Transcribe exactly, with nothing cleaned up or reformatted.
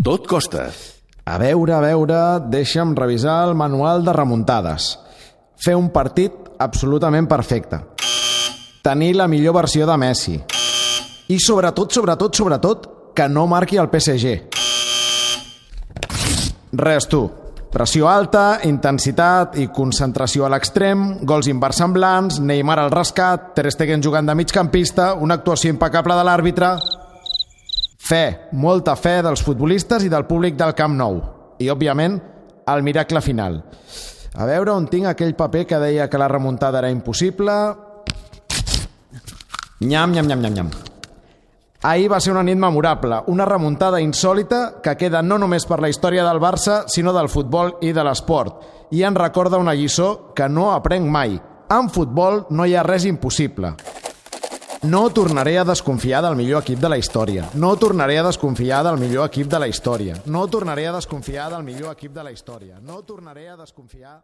Tot costa. A veure, a veure, deixa'm revisar el manual de remuntades. Fer un partit absolutament perfecte. Tenir la millor versió de Messi. I sobretot, sobretot, sobretot, que no marqui el P S G. Res, tu. Pressió alta, intensitat i concentració a l'extrem, gols inversemblants, Neymar al rescat, Ter Stegen jugant de migcampista, una actuació impecable de l'àrbitre... Fe, molta fe dels futbolistes i del públic del Camp Nou. I, òbviament, el miracle final. A veure on tinc aquell paper que deia que la remuntada era impossible... Nyam, nyam, nyam, nyam, nyam. Ahir va ser una nit memorable, una remuntada insòlita que queda no només per la història del Barça, sinó del futbol i de l'esport. I ens recorda una lliçó que no aprenc mai. En futbol no hi ha res impossible. No tornaré a desconfiar del millor equip de la història. No tornaré a desconfiar del millor equip de la història. No tornaré a desconfiar del millor equip de la història. No tornaré a desconfiar...